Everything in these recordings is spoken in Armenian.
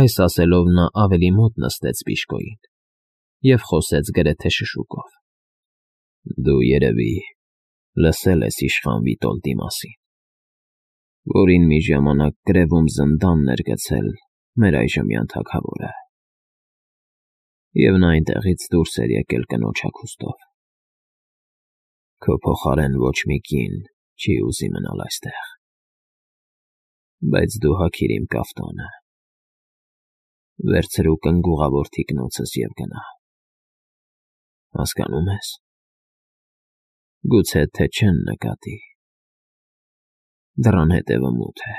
Այս ասելով նա ավելի մոտ նստեց Բիժկոյին և խոսեց գրեթե շշուկով. Դու, երևի, լսել ես իշխան Վիտոլդի մասին, որին մի ժամանակ գրևում զնդանն էր գցել մեր այժմյան թագավորը, և նա այնտեղից դուրս էր եկել կնոջ հագուստով. Քո փոխարեն ոչ մի կին չի ուզի մնալ այստեղ, բայց դու հագիր իմ կաֆտանը, վերցրու կնգուղավոր թիկնոցս և գնա, հասկանո՞ւմ ես, գուցե թե չեն նկատի, դռան հետևը մութ է,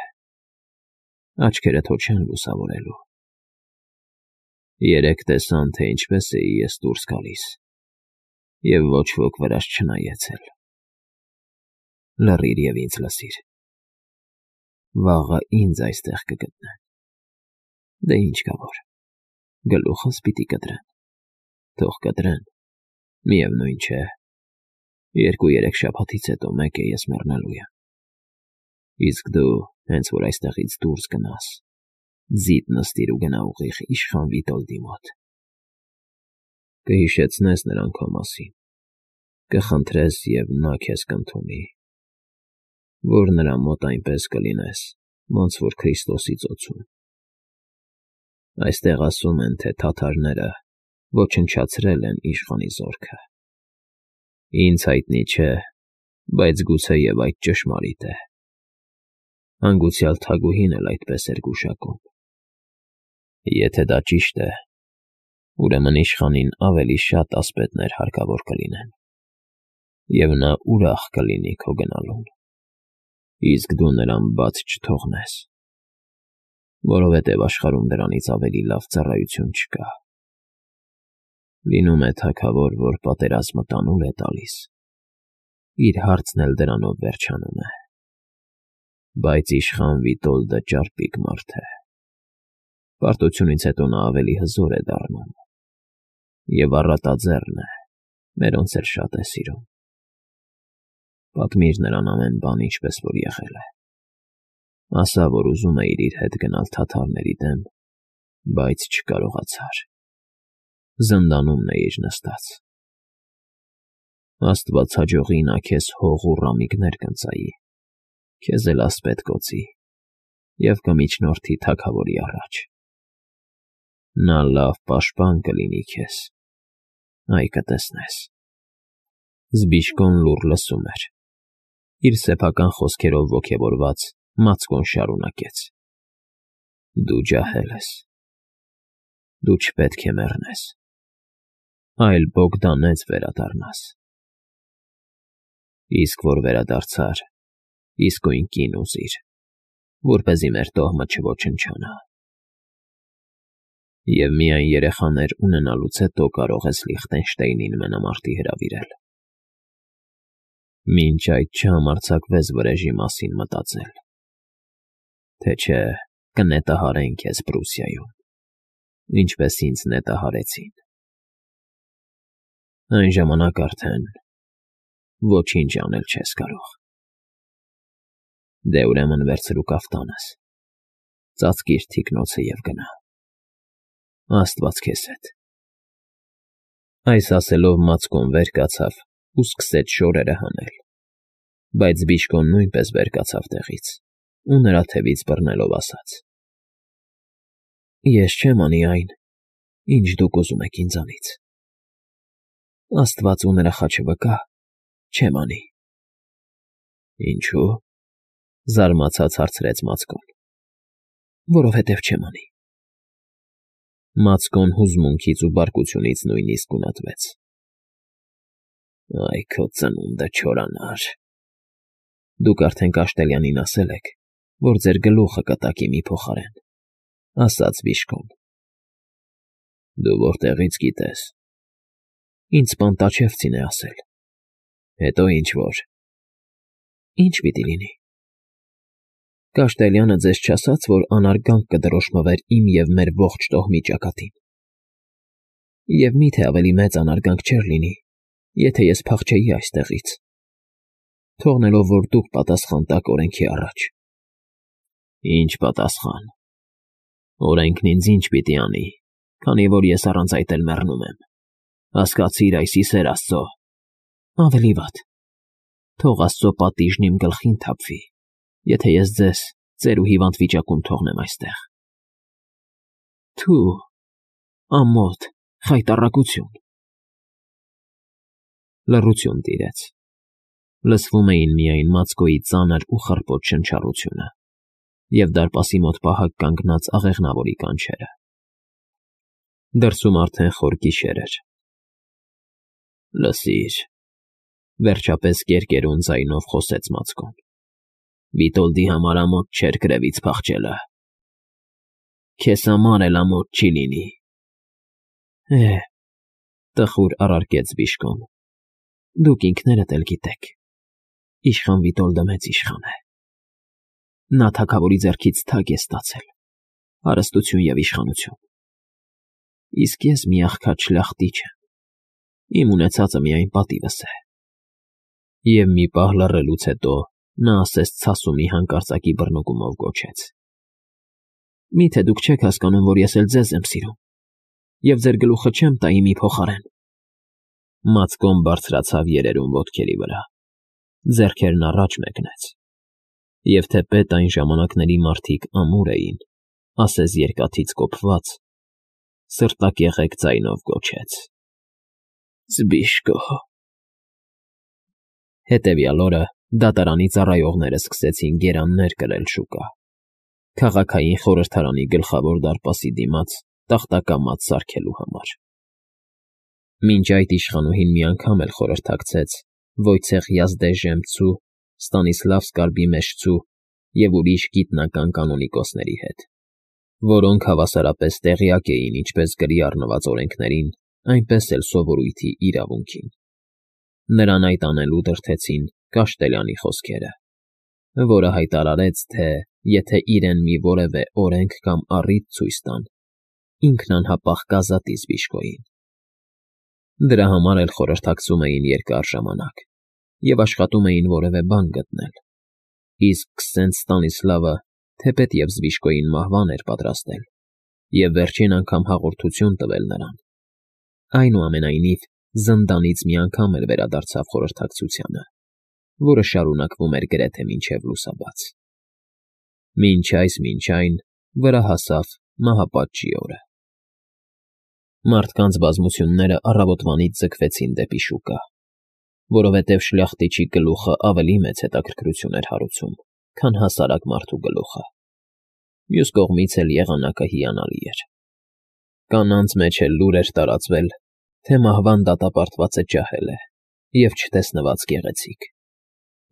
աչքերդ հո չեն լուսավորելու, երեկ տեսան, թե ինչպես էի ես դուրս գալիս, և ոչ ոք վրաս չնայեց էլ, լռիր և ինձ լսիր, վաղը ինձ այստեղ կգտնեն, դե ինչ կա որ, գլուխս պիտի կտրեն, թող կտրեն, միևնույն չէ, 2-3 շաբաթից հետո մեկ է ես մեռնելու եմ, իսկ դու հենց որ այստեղից դուրս գնաս, ձիդ նստիր ու գնա ուղիղ իշխան Վիտոլդի մոտ, կհիշեցնես նրան քո մասին, կխնդրես և նա քեզ կընդունի, որ նրա մոտ այնպես կլինես, ոնց որ Քրիստոսի ծոցում, այստեղ ասում են, թե թաթարները ոչնչացրել են իշխանի զորքը, ինձ հայտնի չէ, բայց գուցեև այդ ճշմարիտ է, հանգուցյալ թագուհին էլ այդպես էր գուշակում, եթե դա ճիշտ է, ուրեմն իշխանին ավելի շատ ասպետներ հարկավոր կլինեն, և նա ուրախ կլինի քո գնալուն, իսկ դու նրան բաց չթողնես, որովհետև աշխարհում դրանից ավելի լավ ծառայություն չկա, լինում է թագավոր, որ պատերազմը տանուլ է տալիս, իր հարցն էլ դրանով վերջանում է, բայց իշխան Վիտոլդը ճարպիկ մարդ է, պարտությունից հետո նա ավելի հզոր է դառնում, և առատաձեռն է, մերոնց էլ շատ է սիրում, պատմիր նրան ամեն բան, ինչպես որ եղել է, ասա, որ ուզում էիր իր հետ գնալ թաթարների դեմ, բայց չկարողացար, զնդանումն էիր նստած, Աստված հաջողի նա քեզ հող ու ռամիկներ կընծայի, քեզ էլ ասպետ կոծի և կմիջնորդի թագավորի առաջ, նա լավ պաշտպան կլինի քեզ, այ կտեսնես, Զբիժկոն լուռ լսում էր, իր սեփական խոսքերով ոգևորված Մացկոն շարունակեց. Դու ջահել ես, դու չպետք է մեռնես, այլ Բոգդանեց վերադառնաս, իսկ որ վերադարձար, իսկույն կին ուզիր, որպեսզի մեր տոհմը չոչնչանա, և միայն երեխաներ ունենալուց հետո կարող ես Լիխտենշտեյնին մենամարտի հրավիրել, մինչ այդ չհամարձակվես վրեժի մասին մտածել, թե չէ կնետահարեն քեզ Պրուսիայում, ինչպես ինձ նետահարեցին, այն ժամանակ արդեն ոչինչ անել չես կարող, դե ուրեմն վերցրու կաֆտանս, ծածկիր թիկնոցը և գնա, Աստված քեզ հետ, այս ասելով Մացկոն վեր կացավ ու սկսեց շորերը հանել, բայց Զբիժկոն նույնպես վեր կացավ տեղից ու նրա թևից բռնելով ասաց. Ես չեմ անի այն, ինչ դուք ուզում եք ինձանից, Աստված ու նրա խաչը վկա, չեմ անի։ Ինչո՞ւ, զարմացած հարցրեց Մացկոն։ Որովհետև չեմ անի։ Մացկոն հուզմունքից ու բարկությունից նույնիսկ գունատվեց։ Այ քո ծնունդը չորանար։ Դուք արդեն Կաշտելյանին ասել եք, որ ձեր գլուխը կտակի մի փոխարեն, ասաց Բիժկոն։ Դու որտեղից գիտես։ Ինձ Պանտաչևցին է ասել։ Հետո ինչ որ։ Ինչ պիտի լինի։ Կաշտելյանը ձեզ չասաց, որ անարգանք կդրոշմվեր իմ և մեր ողջ տոհմի ճակատին։ Եվ միթե ավելի մեծ անարգանք չէր լինի, եթե ես փախչեի այստեղից, թողնելով, որ դուք պատասխան տաք օրենքի առաջ։ Ինչ պատասխան։ Օրենքն ինձ ինչ պիտի անի, քանի որ ես առանց այդ էլ մեռնում եմ։ Հասկացիր այս իսեր Աստծո։ Ավելի վատ։ Թող Աստծո պատիժն իմ գլխին թափվի, եթե ես ձեզ ծեր ու հիվանդ վիճակում թողնեմ այստեղ։ Թու, ամոթ, խայտառակություն։ Լռություն տիրեց։ Լսվում էին միայն Մացկոյի ծանր ու խռպոտ շնչառությունը և դարպասի մոտ պահակ կանգնած աղեղնավորի կանչերը։ Դրսում արդեն խոր գիշեր էր։ Լսիր, վերջապես կերկերուն ձայնով խոսեց Մացկոն։ Վիտոլդի համար ամոթ չէր գրևից փախչելը։ Քեզ համար էլ ամոթ չի լինի։ Տխուր առարկեց Բիշկոն։ Դուք ինքներդ էլ գիտեք, իշխան Վիտոլդը մեծ իշխան է։ Նա թագավորի ձեռքից թագ է ստացել, հարստություն և իշխանություն։ Իսկ ես մի աղքատ շլախտիչ եմ, իմ ունեցածը միայն պատիվս է։ Եվ մի պահ լռելուց հետո նա ասես ցասումի հանկարծակի բռնուկումով գոչեց. Միթե դուք չեք հասկանում, որ ես էլ ձեզ եմ սիրում, և ձեր գլուխը չեմ տա իմի փոխարեն։ Մացկոն բարձրացավ երերուն ոտքերի վրա, ձեռքերն առաջ մեկնեց, և թեպետ այն ժամանակների մարդիկ ամուր էին, ասես երկաթից կոփված, սրտակեղեկ ձայնով գոչեց. Զբիշկո։ Հետևյալ օրը դատարանի ծառայողները սկսեցին գերաններ կրել շուկա։ Քաղաքային խորհրդարանի գլխավոր դարպասի դիմաց տախտակամած սարքելու համար։ Մինչ այդ իշխանուհին մի անգամ էլ խորհրդակցեց Վոյցեխ Յազդեժեմցու, Ստանիսլավ Սկարբիմեշցու և ուրիշ գիտնական կանոնիկոսների հետ, որոնք հավասարապես տեղյակ էին ինչպես գրի առնված օրենքներին, այնպես էլ սովորույթի իրավունքին։ Նրան այդ անելու դրդեցին Կաշտելյանի խոսքերը, որը հայտարարեց, թե եթե իրեն մի որևէ օրենք կամ առիթ ցույց տան, ինքն անհապաղ կազատի Զբիշկոյին։ Դրա համար էլ խորհրդակցում էին երկար ժամանակ և աշխատում էին որևէ բան գտնել, իսկ Քսենտ Ստանիսլավը, թեպետև Զբիշկոյին մահվան էր պատրաստել և վերջին անգամ հաղորդություն տվել նրան, այնուամենայնիվ զնդանից մի անգամ էլ վերադարձավ խորհրդակցությանը, որը շարունակվում էր գրեթե մինչև լուսաբաց։ Մինչ այն վրա հասավ մահապատժի օրը։ Մարդկանց բազմությունները առավոտվանից ձգվեցին դեպի շուկա, որովհետև շլախտիչի գլուխը ավելի մեծ հետաքրքրություն էր հարուցում, քան հասարակ մարդու գլուխը։ Մյուս կողմից էլ եղանակը հիանալի էր։ Կանանց մեջ էլ լուր էր տարածվել, թե մահվան դատապարտվածը ջահել է և չտեսնված գեղեցիկ։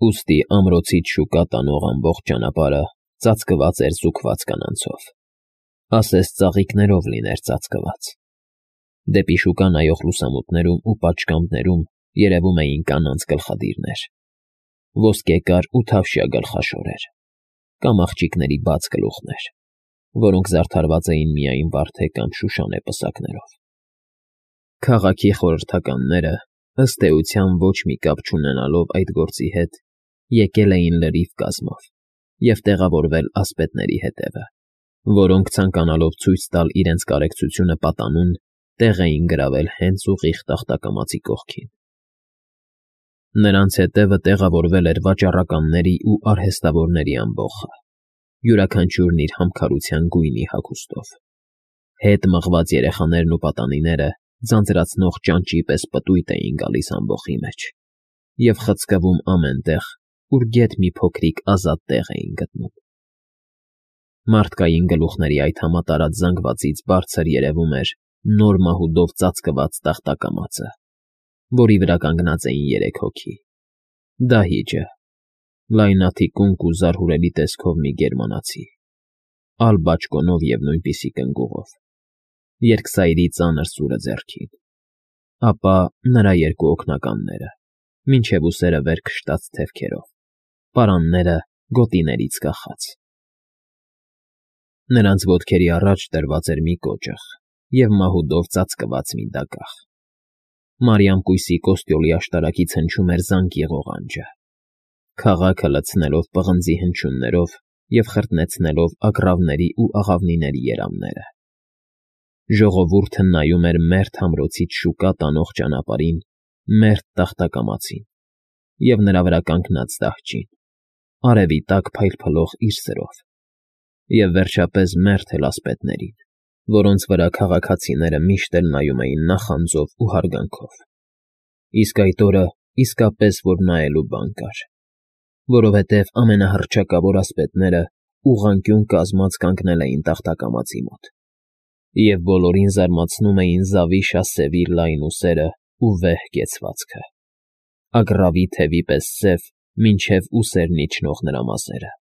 Ուստի ամրոցից շուկա տանող ամբողջ ճանապարհը ծածկված էր զուգված կանանցով, ասես ծաղիկներով լիներ ծածկված։ Դեպի շուկա նայող լուսամուտներում ու պատշգամբներում երևում էին կանանց գլխադիրներ, ոսկեկար ու թավշյա գլխաշորեր, կամ աղջիկների բաց գլուխներ, որոնք զարդարված էին միայն վարդե կամ շուշանե պսակներով։ Քաղաքի խորհրդականները, ըստ էության ոչ մի կապ չունենալով այդ գործի հետ, եկել էին լրիվ կազմով և տեղավորվել ասպետների հետևը, որոնք ցանկանալով ցույց տալ իրենց կարեկցությունը պատանուն, տեղ էին գրավել հենց ուղիղ տախտակամածի կողքին։ Նրանց հետևը տեղավորվել էր վաճառականների ու արհեստավորների ամբոխը, յուրաքանչյուրն իր համքարության գույնի հագուստով։ Հետ մղված երեխաներն ու պատանիները ձանձրացնող ճանճի պես պտույտ էին գալիս ամբոխի մեջ և խցկվում ամեն տեղ, ուր գեթ մի փոքրիկ ազատ տեղ էին գտնում։ Մարդկային գլուխների այդ համատարած զանգվածից բարձր երևում էր նոր մահուդով ծածկված տախտակամածը, որի վրա կանգնած էին 3 հոգի. Դահիճը, լայնաթիկունք ու զարհուրելի տեսքով մի գերմանացի, ալ բաճկոնով և նույնպիսի կնգուղով, երկսայրի ծանր սուրը ձեռքին, ապա նրա 2 օգնականները, մինչև ուսերը վեր քշտած թևքերով, պարանները գոտիներից կախած։ Նրանց ոտքերի առաջ դրված էր մի կոճղ և մահուդով ծածկված մի դագաղ։ Մարիամ կույսի կոստյոլի աշտարակից հնչում էր զանգի ղողանջը։ Քաղաքը լցնելով պղնձի հնչյուններով և խրտնեցնելով ագռավների ու աղավնիների երամները։ Ժողովուրդը նայում էր մերթ ամրոցից շուկա տանող ճանապարհին, մերթ տախտակամածին և նրա վրա կանգնած դահջին, արևի տակ փայլփլող իր սրով, և վերջապես մերթ էլ ասպետներին, որոնց վրա քաղաքացիները միշտ էլ նայում էին նախանձով ու հարգանքով։ Իսկ այդ օրը իսկապես որ նայելու բան կար, որովհետև ամենահռչակավոր ասպետները ուղղանկյուն կազմած կանգնել էին տախտակամածի մոտ, և բոլորին զարմացնում էին զավի շասեւի լայն ուսերը ու վեհ կեցվածքը, ագռավի թևի պես սև մինչև ուսերն իջնող նրա մազերը։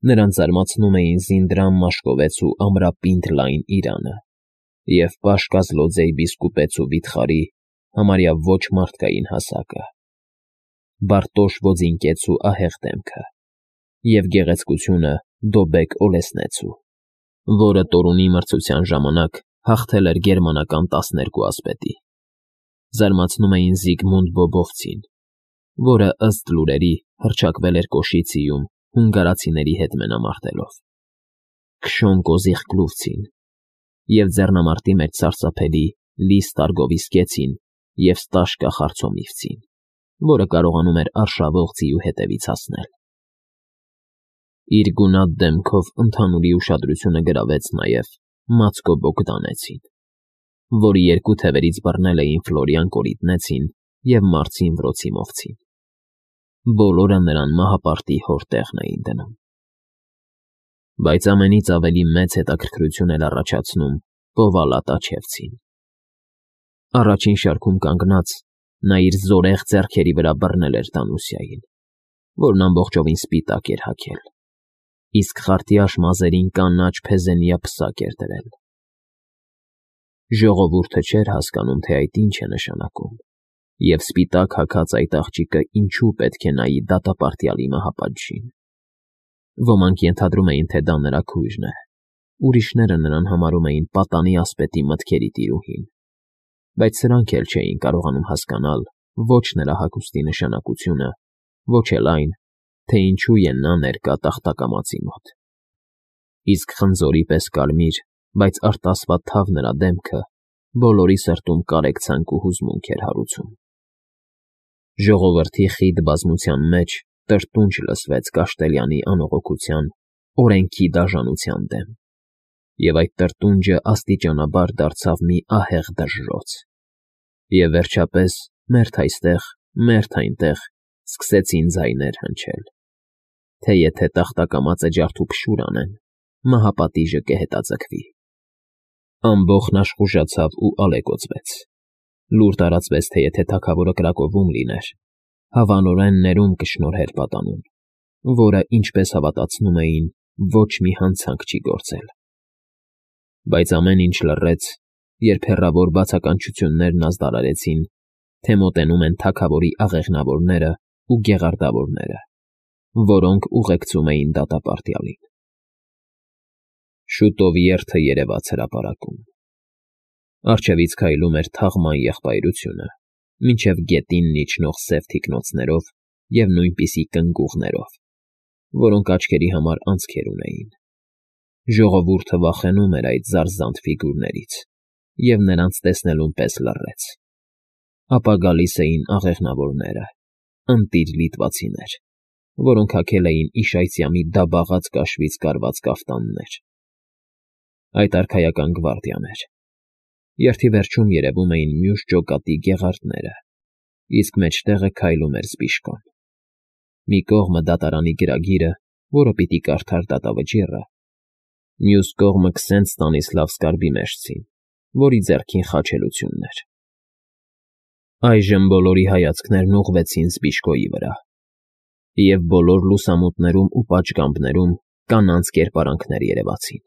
Նրանց զարմացնում էին զինդրամ մաշկովեցու ամրապինդ լայն իրանը և պաշկազլոձեյ բիսկուպեցու վիթխարի համարյա ոչ մարդկային հասակը, Բարտոշ ոձինկեցու ահեղ դեմքը և գեղեցկությունը Դոբեկ Օլեսնեցու, որը Տորունի մրցության ժամանակ հաղթել էր գերմանական 12 ասպետի։ Զարմացնում էին Զիգմունդ Բոբովցին, որը ըստ լուրերի հռչակվել էր Կոշիցիում հունգարացիների հետ մենամարտելով, Քշոն Կոզիխկլուվցին և ձեռնամարտի մեջ սարսափելի Լի Ստարգովիսկեցին և Ստաշկա Խարցոմիվցին, որը կարողանում էր արշավող ձիու հետևից հասնել։ Իր գունատ դեմքով ընդհանուրի ուշադրությունը գրավեց նաև Մացկո Բոգդանեցին, որի երկու թևերից բռնել էին Ֆլորիան Կորիտնեցին և Մարցին Վրոցիմովցին։ Բոլորը նրան մահապարտի հորտեղն էին դնում։ Բայց ամենից ավելի մեծ հետաքրքրություն էր առաջացնում Պովալա Տաչևցին։ Առաջին շարքում կանգնած՝ նա իր զորեղ ձեռքերի վրա բռնել էր Դանուսիային, որն ամբողջովին սպիտակ էր հագել, իսկ խարտյաշ մազերին կանաչ փեզենյա պսակ էր դրել։ Ժողովուրդը չէր հասկանում, թե այդ ինչ է նշանակում, և սպիտակ հագած այդ աղջիկը ինչու պետք է նայի դատապարտյալի մահապատժին։ Ոմանք ենթադրում էին, թե դա նրա քույրն է, ուրիշները նրան համարում էին պատանի ասպետի մտքերի տիրուհին, բայց սրանք էլ չէին կարողանում հասկանալ ոչ նրա հագուստի նշանակությունը, ոչ էլ այն, թե ինչու է նա ներկա տախտակամածի մոտ։ Իսկ խնձորի պես կարմիր, բայց արտասվա թավ նրա դեմքը բոլորի սրտում կարեկցանք ու հուզմունք էր հարուցում։ Ժողովրդի խիտ բազմության մեջ տրտունջ լսվեց Կաշտելյանի անողոքության, օրենքի դաժանության դեմ, և այդ տրտունջը աստիճանաբար դարձավ մի ահեղ դժժոց, և վերջապես մերթ այստեղ, մերթ այնտեղ սկսեցին ձայներ հնչել, թե եթե տախտակամածը ջարդուփշուր անեն, մահապատիժը կհետաձգվի։ Ամբոխն աշխուժացավ ու ալեկոծվեց։ Լուր տարածվեց, թե եթե թագավորը կրակովում լիներ, հավանորեն ներում կշնորհեր պատանուն, որը, ինչպես հավատացնում էին, ոչ մի հանցանք չի գործել։ Բայց ամեն ինչ լռեց, երբ հեռավոր բացականչություններն ազդարարեցին, թե մոտենում են թագավորի աղեղնավորները ու գեղարդավորները, որոնք ուղեկցում էին դատապարտյալին։ Շուտով երթը երևաց հրապարակում։ Առջևից քայլում էր թաղման եղբայրությունը, մինչև գետինն իջնող սև թիկնոցներով և նույնպիսի կնգուղներով, որոնք աչքերի համար անցքեր ունեին։ Ժողովուրդը վախենում էր այդ զարզանտ ֆիգուրներից և նրանց տեսնելուն պես լռեց։ Ապա գալիս էին աղեղնավորները, ընտիր լիտվածիներ, որոնք հագել էին իշայծյամի դաբաղած կաշվից կարված կաֆտաններ։ Այդ արքայական գվարդիան էր։ Երթի վերջում երևում էին մյուս ջոկատի գեղարդները, իսկ մեջտեղը քայլում էր Զբիշկոն։ Մի կողմը դատարանի գրագիրը, որը պիտի կարդար դատավճիռը, մյուս կողմը Քսենտ Ստանիսլավ Սկարբիմեջցին, որի ձեռքին խաչելությունն էր։ Այժմ բոլորի հայացքներն ուղղվեցին Զբիշկոյի վրա, և բոլոր լուսամուտներում ու պատշգամբներում կանանց կերպարանքներ երևացին։